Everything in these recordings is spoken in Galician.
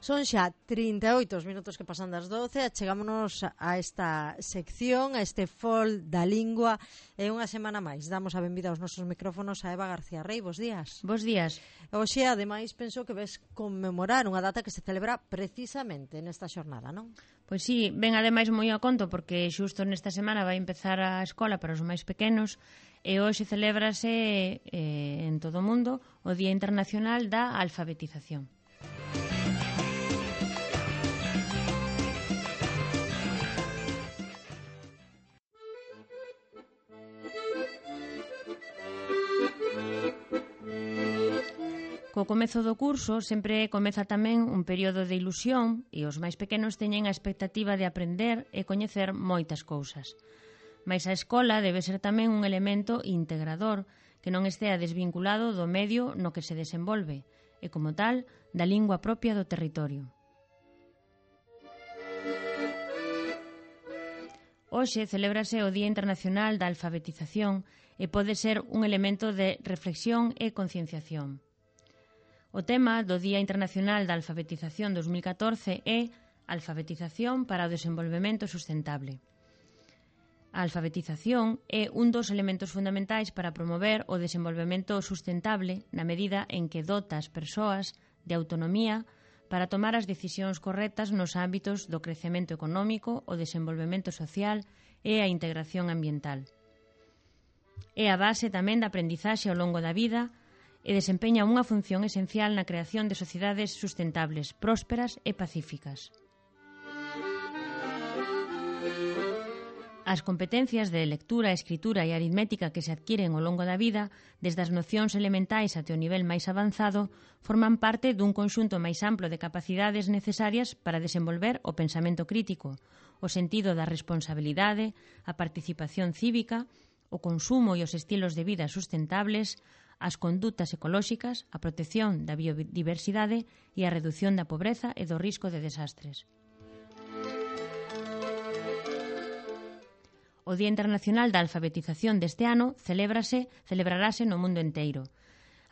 Son xa 38 minutos que pasan das 12, chegámonos a esta sección, a este fol da lingua, e unha semana máis. Damos a benvida aos nosos micrófonos a Eva García Rey. Bos días. Bos días. Oxe, ademais, penso que ves conmemorar unha data que se celebra precisamente nesta xornada, non? Pois sí, ven ademais moi a conto porque xusto nesta semana vai empezar a escola para os máis pequenos e hoxe celébrase en todo o mundo o Día Internacional da Alfabetización. Co comezo do curso sempre comeza tamén un período de ilusión e os máis pequenos teñen a expectativa de aprender e coñecer moitas cousas. Mais a escola debe ser tamén un elemento integrador que non estea desvinculado do medio no que se desenvolve e, como tal, da lingua propia do territorio. Hoxe celébrase o Día Internacional da Alfabetización e pode ser un elemento de reflexión e concienciación. O tema do Día Internacional da Alfabetización 2014 é Alfabetización para o desenvolvemento sustentable. A alfabetización é un dos elementos fundamentais para promover o desenvolvemento sustentable na medida en que dota as persoas de autonomía para tomar as decisións correctas nos ámbitos do crecemento económico, o desenvolvemento social e a integración ambiental. É a base tamén da aprendizaxe ao longo da vida e desempeña unha función esencial na creación de sociedades sustentables, prósperas e pacíficas. As competencias de lectura, escritura e aritmética que se adquiren ao longo da vida, desde as nocións elementais até o nivel máis avanzado, forman parte dun conxunto máis amplo de capacidades necesarias para desenvolver o pensamento crítico, o sentido da responsabilidade, a participación cívica, o consumo e os estilos de vida sustentables, as condutas ecolóxicas, a protección da biodiversidade e a redución da pobreza e do risco de desastres. O Día Internacional da Alfabetización deste ano celebrarase no mundo enteiro.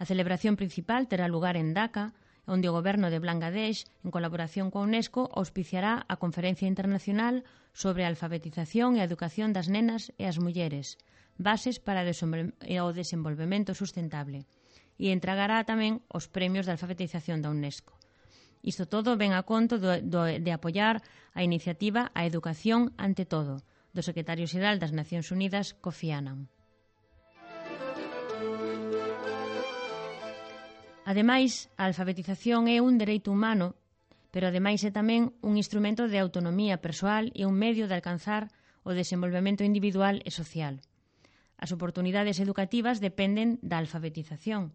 A celebración principal terá lugar en Dhaka, onde o goberno de Bangladesh, en colaboración coa UNESCO, auspiciará a Conferencia Internacional sobre a Alfabetización e a Educación das Nenas e as Mulleres, bases para o desenvolvemento sustentable, e entregará tamén os premios de alfabetización da UNESCO. Isto todo ven a conto de apoiar a iniciativa A Educación ante todo, do secretario xeral das Nacións Unidas, Kofi Annan. Ademais, a alfabetización é un dereito humano, pero ademais é tamén un instrumento de autonomía persoal e un medio de alcanzar o desenvolvemento individual e social. As oportunidades educativas dependen da alfabetización.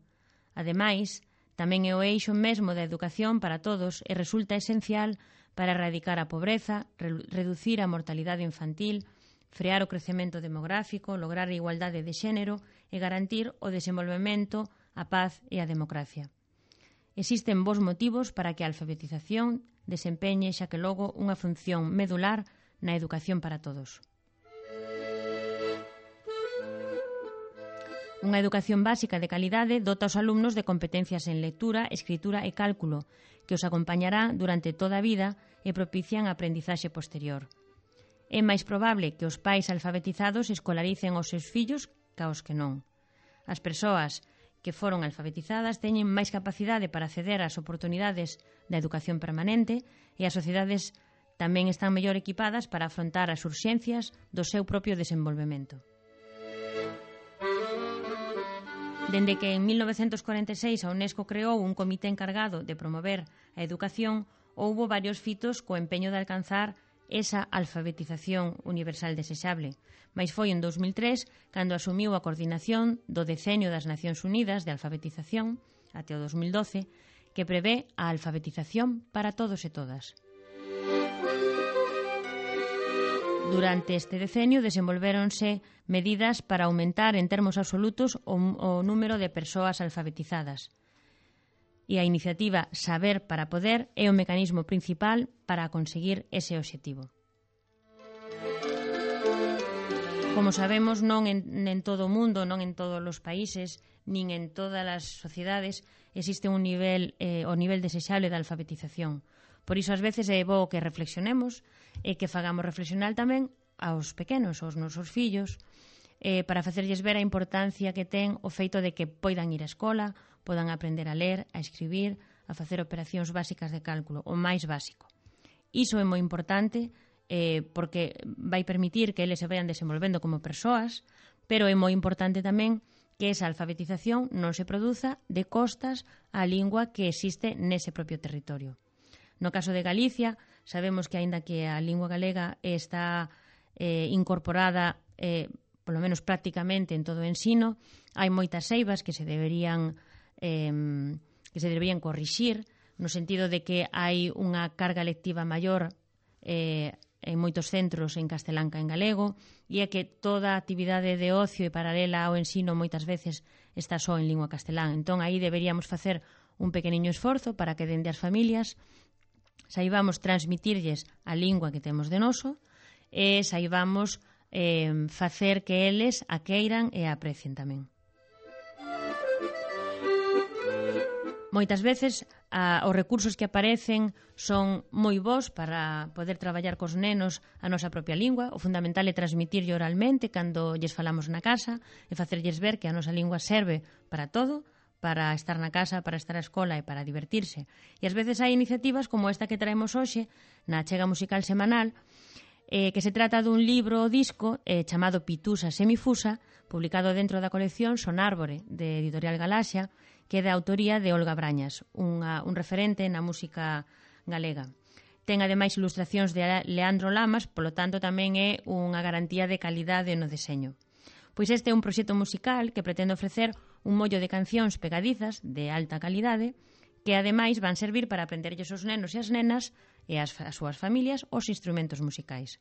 Ademais, tamén é o eixo mesmo da educación para todos e resulta esencial para erradicar a pobreza, reducir a mortalidade infantil, frear o crecemento demográfico, lograr a igualdade de xénero e garantir o desenvolvemento, a paz e a democracia. Existen bons motivos para que a alfabetización desempeñe xa que logo unha función medular na educación para todos. Unha educación básica de calidade dota aos alumnos de competencias en lectura, escritura e cálculo que os acompañará durante toda a vida e propician a aprendizaxe posterior. É máis probable que os pais alfabetizados escolaricen os seus fillos ca os que non. As persoas que foron alfabetizadas teñen máis capacidade para acceder ás oportunidades da educación permanente e as sociedades tamén están mellor equipadas para afrontar as urxencias do seu propio desenvolvemento. Dende que en 1946 a UNESCO creou un comité encargado de promover a educación, houbo varios fitos co empeño de alcanzar esa alfabetización universal desexable, mais foi en 2003 cando asumiu a coordinación do Decenio das Nacións Unidas de Alfabetización até o 2012, que prevé a alfabetización para todos e todas. Durante este decenio desenvolvéronse medidas para aumentar en termos absolutos o número de persoas alfabetizadas. E a iniciativa Saber para Poder é o mecanismo principal para conseguir ese obxectivo. Como sabemos, non en todo o mundo, non en todos os países, nin en todas as sociedades existe un nivel, o nivel desexable de alfabetización. Por iso, ás veces, é bo que reflexionemos e que fagamos reflexionar tamén aos pequenos, aos nosos fillos, para facerlles ver a importancia que ten o feito de que poidan ir á escola, podan aprender a ler, a escribir, a facer operacións básicas de cálculo, o máis básico. Iso é moi importante porque vai permitir que eles se vayan desenvolvendo como persoas, pero é moi importante tamén que esa alfabetización non se produza de costas á lingua que existe nese propio territorio. No caso de Galicia, sabemos que, aínda que a lingua galega está incorporada, polo menos prácticamente, en todo o ensino, hai moitas eivas que se deberían corrixir, no sentido de que hai unha carga lectiva maior en moitos centros en castelán ca en galego, e é que toda a actividade de ocio e paralela ao ensino moitas veces está só en lingua castelán. Entón, aí deberíamos facer un pequeniño esforzo para que dende as familias saibamos transmitirlles a lingua que temos de noso e saibamos facer que eles a queiran e a aprecien tamén. Moitas veces os recursos que aparecen son moi bons para poder traballar cos nenos a nosa propia lingua. O fundamental é transmitirlle oralmente cando lles falamos na casa e facerlles ver que a nosa lingua serve para todo, para estar na casa, para estar á escola e para divertirse. E ás veces hai iniciativas como esta que traemos hoxe na achega musical semanal, que se trata dun libro o disco chamado Pitusa Semifusa, publicado dentro da colección Son Árbore, de Editorial Galaxia, que é da autoría de Olga Brañas, un referente na música galega. Ten ademais ilustracións de Leandro Lamas, polo tanto tamén é unha garantía de calidade no deseño. Pois este é un proxecto musical que pretende ofrecer un mollo de cancións pegadizas de alta calidade que ademais van servir para aprenderlles os nenos e as nenas e as súas familias os instrumentos musicais.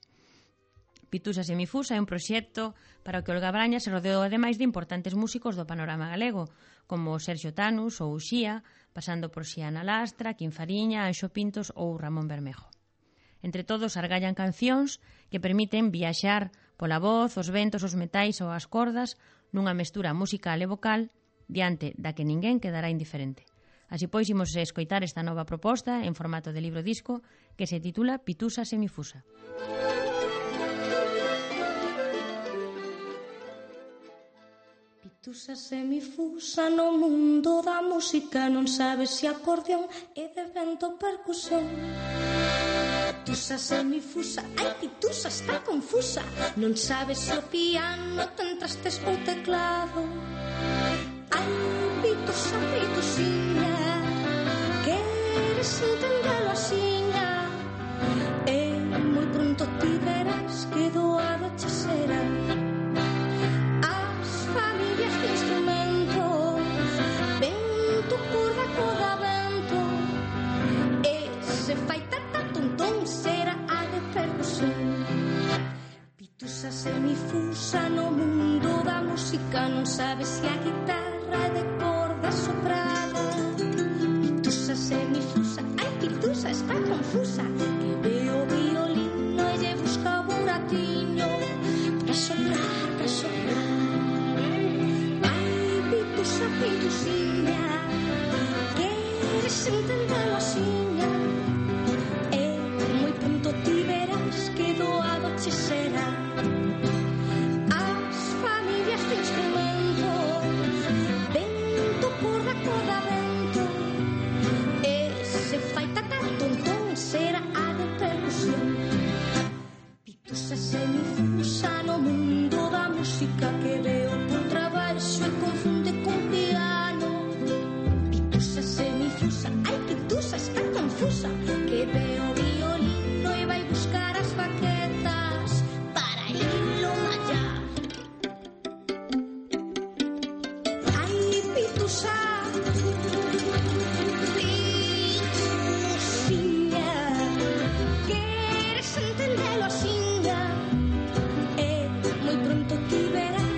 Pitusa Semifusa é un proxecto para o que Olga Brañas se rodeou ademais de importantes músicos do panorama galego, como Sergio Tanus ou Uxía, pasando por Xiana Lastra, Quim Fariña, Anxo Pintos ou Ramón Bermejo. Entre todos argallan cancións que permiten viaxar pola voz, os ventos, os metais ou as cordas nunha mestura musical e vocal diante da que ninguén quedará indiferente. Así pois, imos escoitar esta nova proposta en formato de libro-disco que se titula Pitusa Semifusa. Pitusa semifusa no mundo da música, non sabes se acordeón e de vento percusión. Pitusa semifusa, ai Pitusa está confusa, non sabes se o piano ten trastes ou teclado. Ai Pitusa, Pitusiña, queres entendelo axiña, e moi pronto ti verás que doado che será. As familias de instrumentos, vento, corda, corda, vento, e se fai tata tontón será a de percusión. Pitusa semifusa no mundo da música, non sabes se a guitarra é de corda soprada. Pitusa semifusa, ai Pitusa está confusa, que ve o violino e lle busca o buratiño para soprar, para soprar. Ai Pitusa, Pitusiña, queres entendelo axiña, e moi pronto ti verás que doado che será. As familias de instrumentos, vento, corda, corda, vento, e se fai tata tontón será a de percusión. Pitusa semifusa no mundo da música, que veo por traballo e confunde con piano. Pitusa semifusa, ai Pitusa está confusa, que veo violino e vai buscar as baquetas para irlo mallar. Ai Pitusa, Pitusiña, queres entendelo axiña, e moi pronto ti verás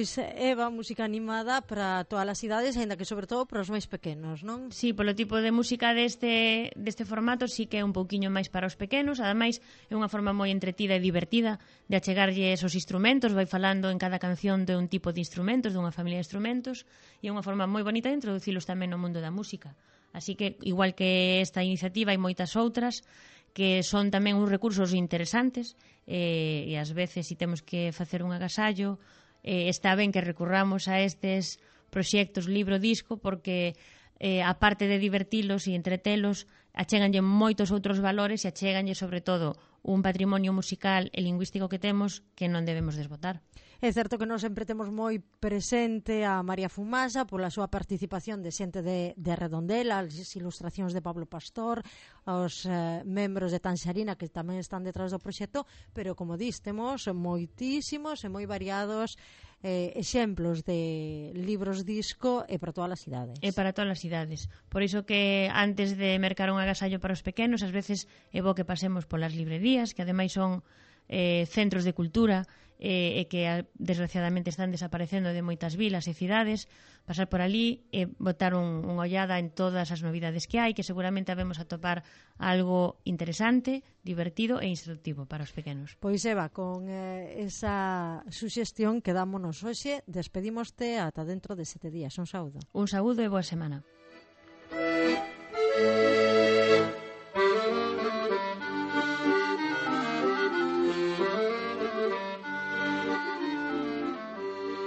Pois, Eva, música animada para todas as idades, ainda que sobre todo para os máis pequenos, non? Sí, polo tipo de música deste formato sí que é un pouquiño máis para os pequenos, ademais é unha forma moi entretida e divertida de achegarlles os instrumentos, vai falando en cada canción de un tipo de instrumentos, dunha familia de instrumentos, e é unha forma moi bonita de introducilos tamén no mundo da música. Así que, igual que esta iniciativa, hai moitas outras que son tamén uns recursos interesantes e ás veces, se temos que facer un agasallo, está ben que recurramos a estes proxectos libro-disco porque aparte de divertilos e entretelos, achéganlle moitos outros valores e achéganlle sobre todo un patrimonio musical e lingüístico que temos que non debemos desbotar. É certo que nós sempre temos moi presente a María Fumasa pola súa participación de xente de Redondela, as ilustracións de Pablo Pastor, os membros de Tanxarina que tamén están detrás do proxecto, pero como dis, temos moitísimos e moi variados exemplos de libros disco e para todas as idades. E para todas as idades. Por iso que antes de mercar un agasallo para os pequenos, ás veces é bo que pasemos polas librerías, que ademais son centros de cultura e que desgraciadamente están desaparecendo de moitas vilas e cidades, pasar por ali e botar unha ollada en todas as novidades que hai, que seguramente habemos a topar algo interesante, divertido e instructivo para os pequenos. Pois Eva, con esa suxestión quedámonos hoxe, despedímoste ata dentro de 7 días. Un saúdo. Un saúdo e boa semana.